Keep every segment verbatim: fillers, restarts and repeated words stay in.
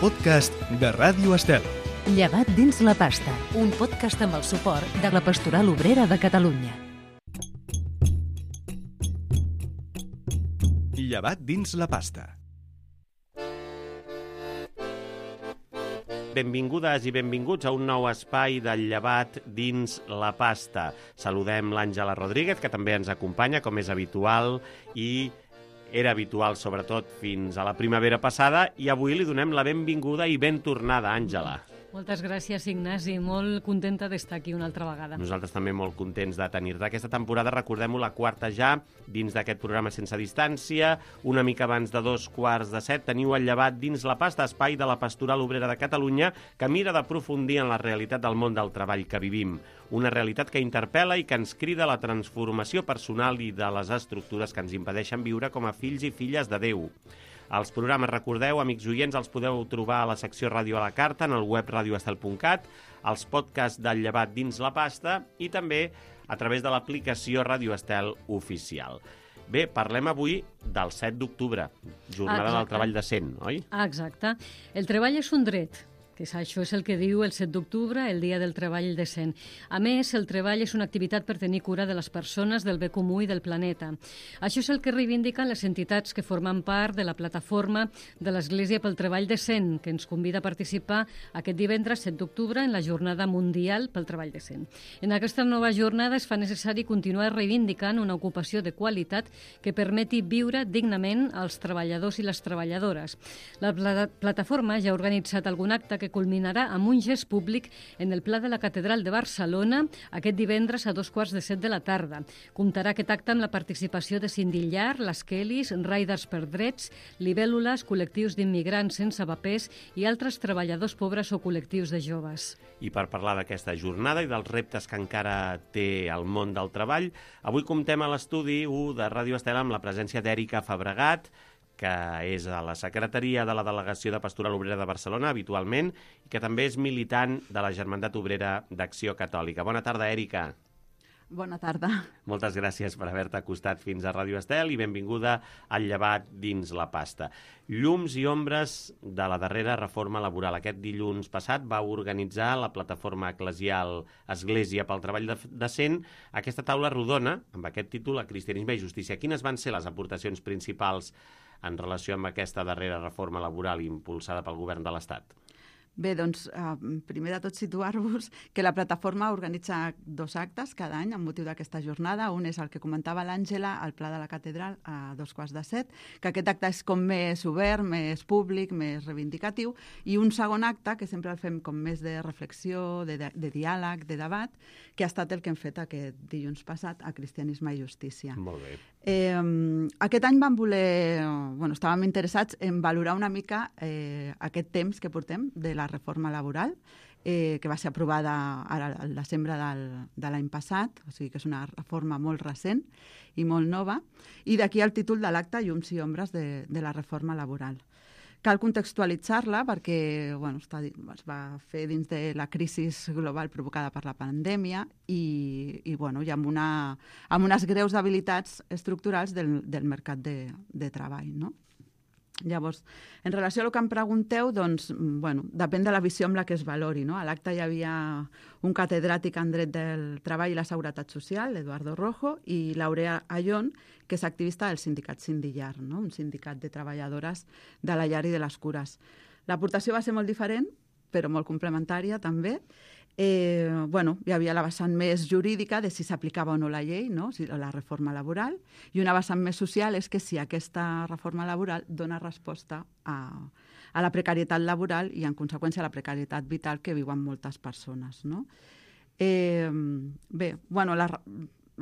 podcast de Ràdio Estel. Llevat dins la pasta, un podcast amb el suport de la Pastoral Obrera de Catalunya. Llevat dins la pasta. Benvingudes i benvinguts a un nou espai del llevat dins la pasta. Saludem l'Àngela Rodríguez, que també ens acompanya, com és habitual, i era habitual, sobretot, fins a la primavera passada, i avui li donem la benvinguda i ben tornada, Àngela. Moltes gràcies, Ignasi. Molt contenta d'estar aquí una altra vegada. Nosaltres també molt contents de tenir-te. Aquesta temporada, recordem-ho, la quarta ja, dins d'aquest programa Sense Distància. Una mica abans de dos quarts de set teniu el llevat dins la pasta, espai de la Pastoral Obrera de Catalunya, que mira d'aprofundir en la realitat del món del treball que vivim. Una realitat que interpel·la i que ens crida a la transformació personal i de les estructures que ens impedeixen viure com a fills i filles de Déu. Els programes, recordeu, amics oients, els podeu trobar a la secció Ràdio a la Carta, en el web radioestel punt cat, els podcasts del llevat dins la pasta i també a través de l'aplicació Ràdio Estel Oficial. Bé, parlem avui del set d'octubre, jornada Exacte. del treball decent, oi? Ah, exacte. El treball és un dret, que és, això és el que diu el set d'octubre, el Dia del Treball Decent. A més, el treball és una activitat per tenir cura de les persones, del bé comú i del planeta. Això és el que reivindiquen les entitats que formen part de la plataforma de l'Església pel Treball Decent, que ens convida a participar aquest divendres set d'octubre en la Jornada Mundial pel Treball Decent. En aquesta nova jornada es fa necessari continuar reivindicant una ocupació de qualitat que permeti viure dignament als treballadors i les treballadores. La pla- plataforma ja ha organitzat algun acte que culminarà amb un gest públic en el Pla de la Catedral de Barcelona aquest divendres a dos quarts de set de la tarda. Comptarà aquest acte amb la participació de Sindillar, les Kellys, Riders per Drets, Libèl·lules, col·lectius d'immigrants sense papers i altres treballadors pobres o col·lectius de joves. I per parlar d'aquesta jornada i dels reptes que encara té el món del treball, avui comptem a l'estudi u de Ràdio Estel amb la presència d'Èrica Fabregat, que és a la secretaria de la Delegació de Pastoral Obrera de Barcelona, habitualment, i que també és militant de la Germandat Obrera d'Acció Catòlica. Bona tarda, Èrica. Bona tarda. Moltes gràcies per haver-te acostat fins a Ràdio Estel i benvinguda al llevat dins la pasta. Llums i ombres de la darrera reforma laboral. Aquest dilluns passat va organitzar la plataforma eclesial Església pel Treball Decent aquesta taula rodona, amb aquest títol, a Cristianisme i Justícia. Quines van ser les aportacions principals en relació amb aquesta darrera reforma laboral impulsada pel govern de l'Estat? Bé, doncs, eh, primer de tot situar-vos que la plataforma organitza dos actes cada any amb motiu d'aquesta jornada. Un és el que comentava l'Àngela, al Pla de la Catedral, a dos quarts de set, que aquest acte és com més obert, més públic, més reivindicatiu, i un segon acte, que sempre el fem com més de reflexió, de, de, de diàleg, de debat, que ha estat el que hem fet aquest dilluns passat a Cristianisme i Justícia. Molt bé. Eh, aquest any vam voler, bueno, estàvem interessats en valorar una mica eh, aquest temps que portem de la reforma laboral, eh, que va ser aprovada ara al desembre del, de l'any passat, o sigui que és una reforma molt recent i molt nova, i d'aquí el títol de l'acte, Llums i ombres de, de la reforma laboral. Cal contextualitzar-la perquè bueno, està, es va fer dins de la crisi global provocada per la pandèmia i, i, bueno, i amb, una, amb unes greus debilitats estructurals del, del mercat de, de treball, no? Llavors, en relació a el que em pregunteu, doncs, bueno, depèn de la visió amb la que es valori, no? A l'acte hi havia un catedràtic en dret del treball i la seguretat social, Eduardo Rojo, i l'Aurea Ayón, que és activista del sindicat Sindillar, no? Un sindicat de treballadores de la llar i de les cures. L'aportació va ser molt diferent, però molt complementària també. Eh, bueno, hi havia la vessant més jurídica de si s'aplicava o no la llei, no? Si, la reforma laboral, i una vessant més social és que si aquesta reforma laboral dona resposta a, a la precarietat laboral i, en conseqüència, a la precarietat vital que viuen moltes persones, no? Eh, bé, bueno, la,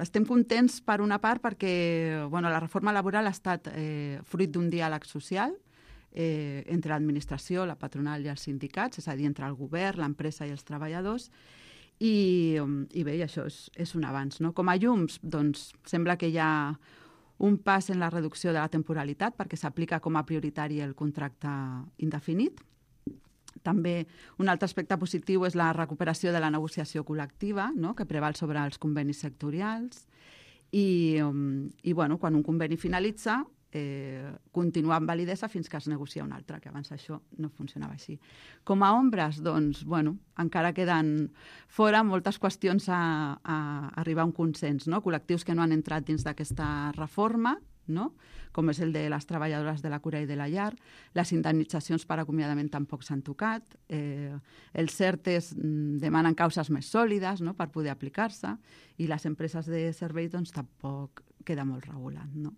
estem contents per una part perquè bueno, la reforma laboral ha estat eh, fruit d'un diàleg social Eh, entre l'administració, la patronal i els sindicats, és a dir, entre el govern, l'empresa i els treballadors, i, i bé, i això és, és un avanç, no? Com a llums, doncs, sembla que hi ha un pas en la reducció de la temporalitat perquè s'aplica com a prioritari el contracte indefinit. També un altre aspecte positiu és la recuperació de la negociació col·lectiva, no? Que preval sobre els convenis sectorials, i, i bueno, quan un conveni finalitza, eh, continuar amb validesa fins que es negocia una altra, que abans això no funcionava així. Com a ombres, doncs, bueno, encara queden fora moltes qüestions a, a arribar a un consens, no? Col·lectius que no han entrat dins d'aquesta reforma, no? Com és el de les treballadores de la cura i de la llar. Les indemnitzacions per acomiadament tampoc s'han tocat. Eh, els CERTES demanen causes més sòlides, no?, per poder aplicar-se, i les empreses de servei doncs, tampoc queda molt regulat, no?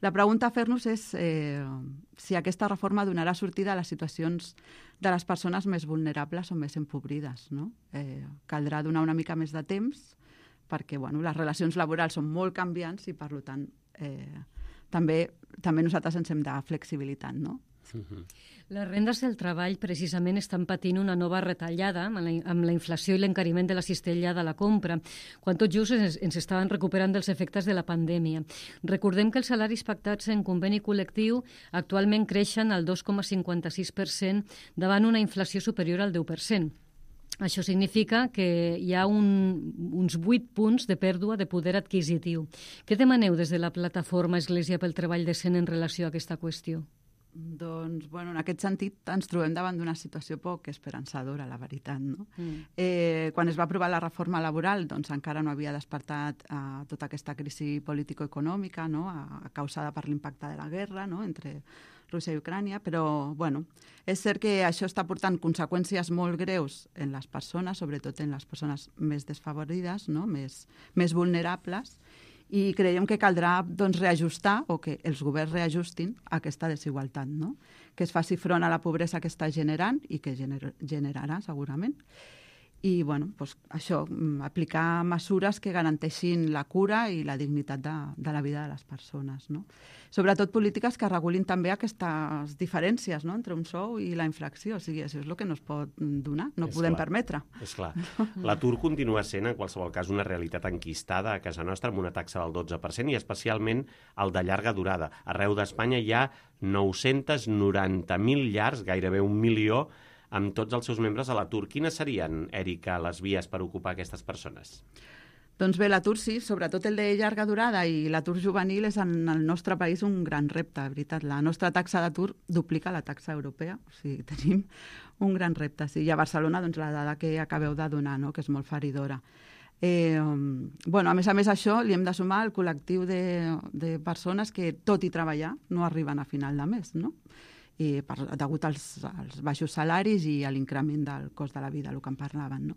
La pregunta a fer-nos és eh, si aquesta reforma donarà sortida a les situacions de les persones més vulnerables o més empobrides, no? Eh, caldrà donar una mica més de temps perquè bueno, les relacions laborals són molt canviants i, per tant, eh, també, també nosaltres ens hem de flexibilitat, no? Uh-huh. Les rendes del treball precisament estan patint una nova retallada amb la, amb la inflació i l'encariment de la cistella de la compra, quan tot just ens, ens estaven recuperant dels efectes de la pandèmia. Recordem que els salaris pactats en conveni col·lectiu actualment creixen al dos coma cinquanta-sis per cent davant una inflació superior al deu per cent. Això significa que hi ha un, uns vuit punts de pèrdua de poder adquisitiu. Què demaneu des de la plataforma Església pel Treball Decent en relació a aquesta qüestió? Doncs, bueno, en aquest sentit ens trobem davant d'una situació poc esperançadora, la veritat, no? Mm. Eh, quan es va aprovar la reforma laboral, doncs encara no havia despertat eh, tota aquesta crisi político-econòmica, no?, a, a causada per l'impacte de la guerra, no?, entre Rússia i Ucrània, però, bueno, és cert que això està portant conseqüències molt greus en les persones, sobretot en les persones més desfavorides, no?, més, més vulnerables, i creiem que caldrà doncs, reajustar o que els governs reajustin aquesta desigualtat, no? Que es faci front a la pobresa que està generant i que gener generarà segurament. I bueno, doncs, això, aplicar mesures que garanteixin la cura i la dignitat de, de la vida de les persones, no? Sobretot polítiques que regulin també aquestes diferències, no?, entre un sou i la inflació. O sigui, això és el que no es pot donar, no és podem clar, permetre. És clar. L'atur continua sent, en qualsevol cas, una realitat enquistada a casa nostra amb una taxa del dotze per cent i especialment el de llarga durada. Arreu d'Espanya hi ha nou-cents noranta mil llars, gairebé un milió, amb tots els seus membres a l'atur. Quines serien, Èrica, les vies per ocupar aquestes persones? Doncs bé, l'atur sí, sobretot el de llarga durada i l'atur juvenil és en el nostre país un gran repte, de veritat. La nostra taxa d'atur duplica la taxa europea, o sigui, tenim un gran repte. Sí. I a Barcelona, doncs, la dada que acabeu de donar, no?, que és molt feridora. Eh, bueno, a més a més això li hem de sumar el col·lectiu de, de persones que, tot i treballar, no arriben a final de mes, no?, i per, degut als, als baixos salaris i a l'increment del cost de la vida, el que en parlaven, no?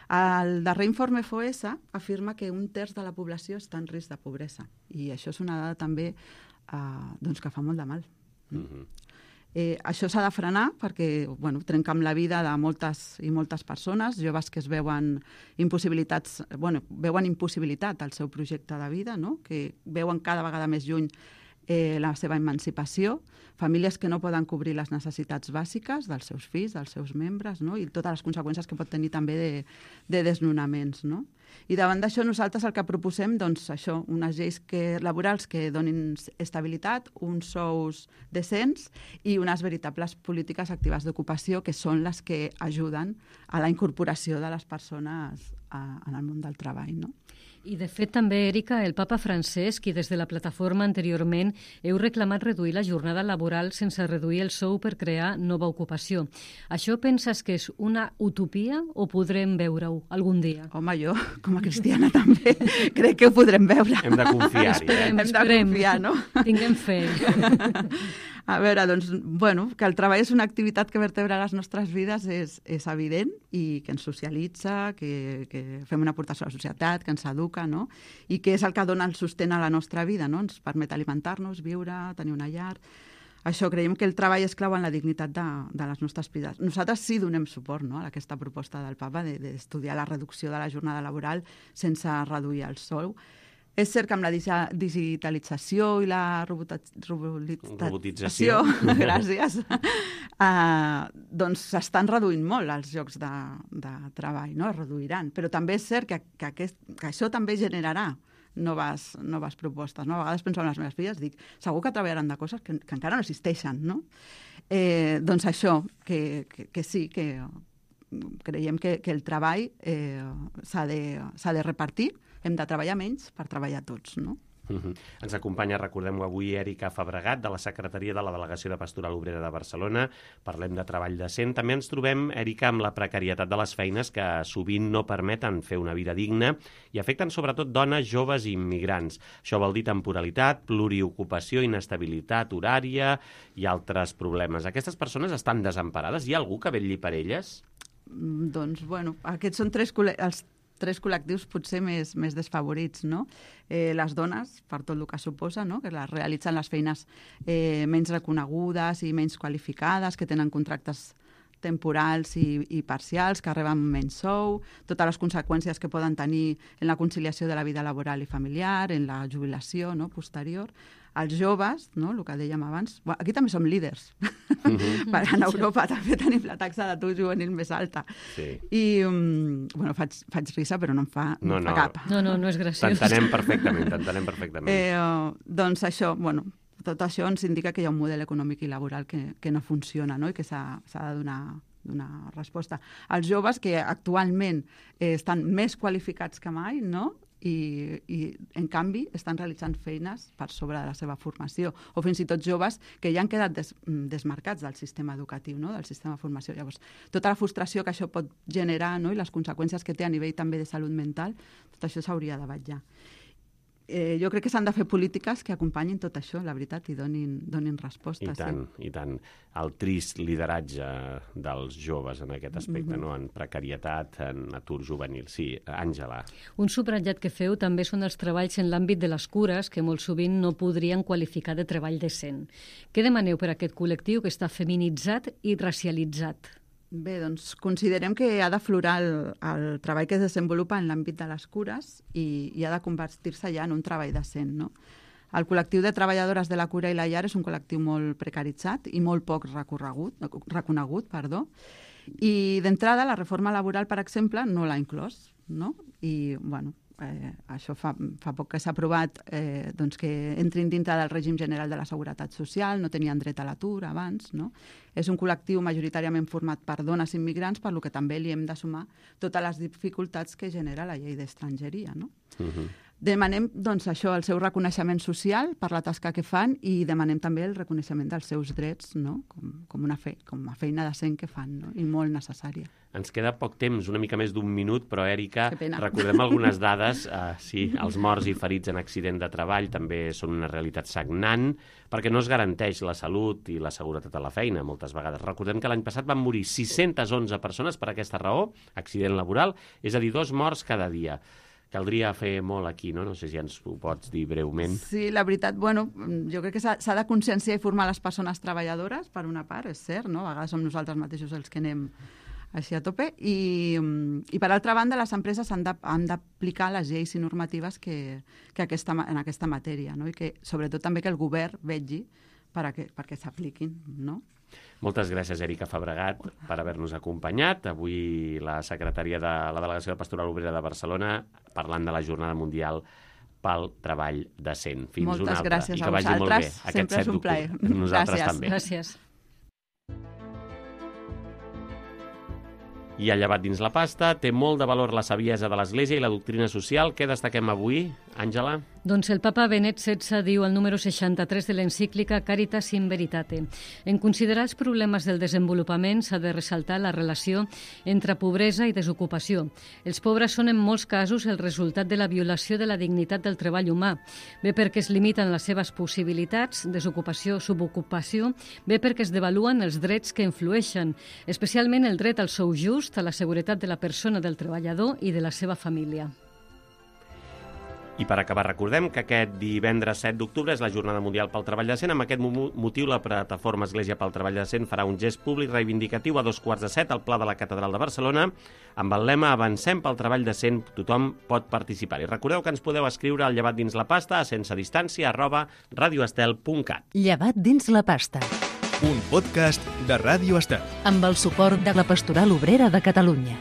El darrer informe Foessa afirma que un terç de la població està en risc de pobresa i això és una dada també eh, doncs que fa molt de mal. Mm-hmm. eh, això s'ha de frenar perquè bueno, trenca amb la vida de moltes i moltes persones, joves que es veuen impossibilitats, bueno, veuen impossibilitat al seu projecte de vida, no?, que veuen cada vegada més lluny Eh, la seva emancipació, famílies que no poden cobrir les necessitats bàsiques dels seus fills, dels seus membres, no?, i totes les conseqüències que pot tenir també de, de desnonaments, no? I davant d'això nosaltres el que proposem, doncs això, unes lleis que, laborals que donin estabilitat, uns sous decents i unes veritables polítiques actives d'ocupació que són les que ajuden a la incorporació de les persones a, en el món del treball, no? I, de fet, també, Èrica, el papa Francesc i des de la plataforma anteriorment heu reclamat reduir la jornada laboral sense reduir el sou per crear nova ocupació. Això penses que és una utopia o podrem veure-ho algun dia? Home, jo, com a cristiana també, crec que ho podrem veure. Hem de confiar-hi, eh? Hem de confiar, no? Tinguem fe. A veure, doncs, bueno, que el treball és una activitat que vertebra les nostres vides és, és evident i que ens socialitza, que, que fem una aportació a la societat, que ens educa, no? I que és el que dona el sostén a la nostra vida, no? Ens permet alimentar-nos, viure, tenir una llar. Això, creiem que el treball és clau en la dignitat de, de les nostres vides. Nosaltres sí donem suport, no?, a aquesta proposta del papa d'estudiar la reducció de la jornada laboral sense reduir el sou. És cert que amb la digitalització i la robotització, robotització. gràcies, uh, doncs s'estan reduint molt els llocs de, de treball, no? Es reduiran. Però també és cert que, que, aquest, que això també generarà noves, noves propostes, no? A vegades penso en les meves filles, dic, segur que treballaran de coses que, que encara no existeixen, no? Eh, doncs això, que, que, que sí, que creiem que, que el treball eh, s'ha de, s'ha de repartir, hem de treballar menys per treballar tots, no? Uh-huh. Ens acompanya, recordem-ho avui, Èrica Fabregat, de la Secretaria de la Delegació de Pastoral Obrera de Barcelona. Parlem de treball decent. També ens trobem, Èrica, amb la precarietat de les feines que sovint no permeten fer una vida digna i afecten sobretot dones, joves i immigrants. Això vol dir temporalitat, pluriocupació, inestabilitat horària i altres problemes. Aquestes persones estan desemparades? Hi ha algú que vetlli per elles? Mm, doncs, bueno, aquests són tres col·le- els tres col·lectius potser més, més desfavorits, no? Eh, les dones, per tot el que suposa, no? Que les realitzen les feines eh, menys reconegudes i menys qualificades, que tenen contractes temporals i, i parcials, que reben menys sou, totes les conseqüències que poden tenir en la conciliació de la vida laboral i familiar, en la jubilació, no? Posterior. Els joves, no? El que dèiem abans, bueno, aquí també som líders. Uh-huh. En Europa també tenim la taxa d'atur juvenil més alta. Sí. I, um, bueno, faig, faig risa, però no em fa, no, no, no. fa cap. No, no, no és graciós. T'entenem perfectament, t'entenem perfectament. Eh, doncs això, bueno, tot això ens indica que hi ha un model econòmic i laboral que, que no funciona, no? I que s'ha de donar, donar resposta. Els joves, que actualment eh, estan més qualificats que mai, no? I, i en canvi estan realitzant feines per sobre de la seva formació, o fins i tot joves que ja han quedat des, desmarcats del sistema educatiu, no? Del sistema de formació. Llavors, tota la frustració que això pot generar, no? I les conseqüències que té a nivell també de salut mental, tot això s'hauria de vetllar. Eh, jo crec que s'han de fer polítiques que acompanyin tot això, la veritat, i donin, donin resposta. I tant, sí. I tant. El trist lideratge dels joves en aquest aspecte, mm-hmm. no? En precarietat, en atur juvenil. Sí, Àngela. Un subratllat que feu també són els treballs en l'àmbit de les cures, que molt sovint no podrien qualificar de treball decent. Què demaneu per a aquest col·lectiu que està feminitzat i racialitzat? Bé, doncs considerem que ha d'aflorar el, el treball que es desenvolupa en l'àmbit de les cures i, i ha de convertir-se ja en un treball decent, no? El col·lectiu de treballadores de la cura i la llar és un col·lectiu molt precaritzat i molt poc recorregut, reconegut, perdó. I d'entrada la reforma laboral, per exemple, no l'ha inclòs, no? I, bueno, eh, això fa, fa poc que s'ha aprovat eh, doncs que entrin dintre del règim general de la Seguretat Social, no tenien dret a l'atur abans, no? És un col·lectiu majoritàriament format per dones immigrants, per lo que també li hem de sumar totes les dificultats que genera la llei d'estrangeria, no? Uh-huh. Demanem, doncs, això, el seu reconeixement social per la tasca que fan i demanem també el reconeixement dels seus drets, no? Com, com, una, fe, com una feina decent que fan, no? I molt necessària. Ens queda poc temps, una mica més d'un minut, però, Èrica, recordem algunes dades. Uh, sí, els morts i ferits en accident de treball també són una realitat sagnant, perquè no es garanteix la salut i la seguretat a la feina, moltes vegades. Recordem que l'any passat van morir sis-centes onze persones per aquesta raó, accident laboral, és a dir, dos morts cada dia. Caldria fer molt aquí, no? No sé si ens ho pots dir breument. Sí, la veritat, bueno, jo crec que s'ha de conscienciar i formar les persones treballadores, per una part, és cert, no? A vegades som nosaltres mateixos els que anem així a tope, i, i per altra banda les empreses han d'aplicar les lleis i normatives que, que aquesta, en aquesta matèria, no? I que sobretot també que el govern vetlli per a que, perquè s'apliquin, no? Moltes gràcies, Èrica Fabregat, per haver-nos acompanyat. Avui la secretària de la Delegació de Pastoral Obrera de Barcelona parlant de la Jornada Mundial pel Treball Decent. Fins Moltes una altra. gràcies I a que vagi molt bé. Sempre és un plaer. Nosaltres gràcies. també. Gràcies. I ha llevat dins la pasta, té molt de valor la saviesa de l'Església i la doctrina social. Què destaquem avui, Àngela? Doncs el papa Benet setze diu al número seixanta-tres de l'encíclica Caritas in Veritate. En considerar els problemes del desenvolupament s'ha de ressaltar la relació entre pobresa i desocupació. Els pobres són en molts casos el resultat de la violació de la dignitat del treball humà, bé perquè es limiten les seves possibilitats, desocupació, subocupació, bé perquè es devaluen els drets que influeixen, especialment el dret al sou just, a la seguretat de la persona, del treballador i de la seva família. I per acabar, recordem que aquest divendres set d'octubre és la Jornada Mundial pel Treball Decent. Amb aquest motiu, la plataforma Església pel Treball Decent farà un gest públic reivindicatiu a dos quarts de set al Pla de la Catedral de Barcelona amb el lema Avancem pel treball decent, tothom pot participar. I recordeu que ens podeu escriure al llevat dins la pasta a sense distància arroba radioestel punt cat. Llevat dins la pasta. Un podcast de Ràdio Estel. Amb el suport de la Pastoral Obrera de Catalunya.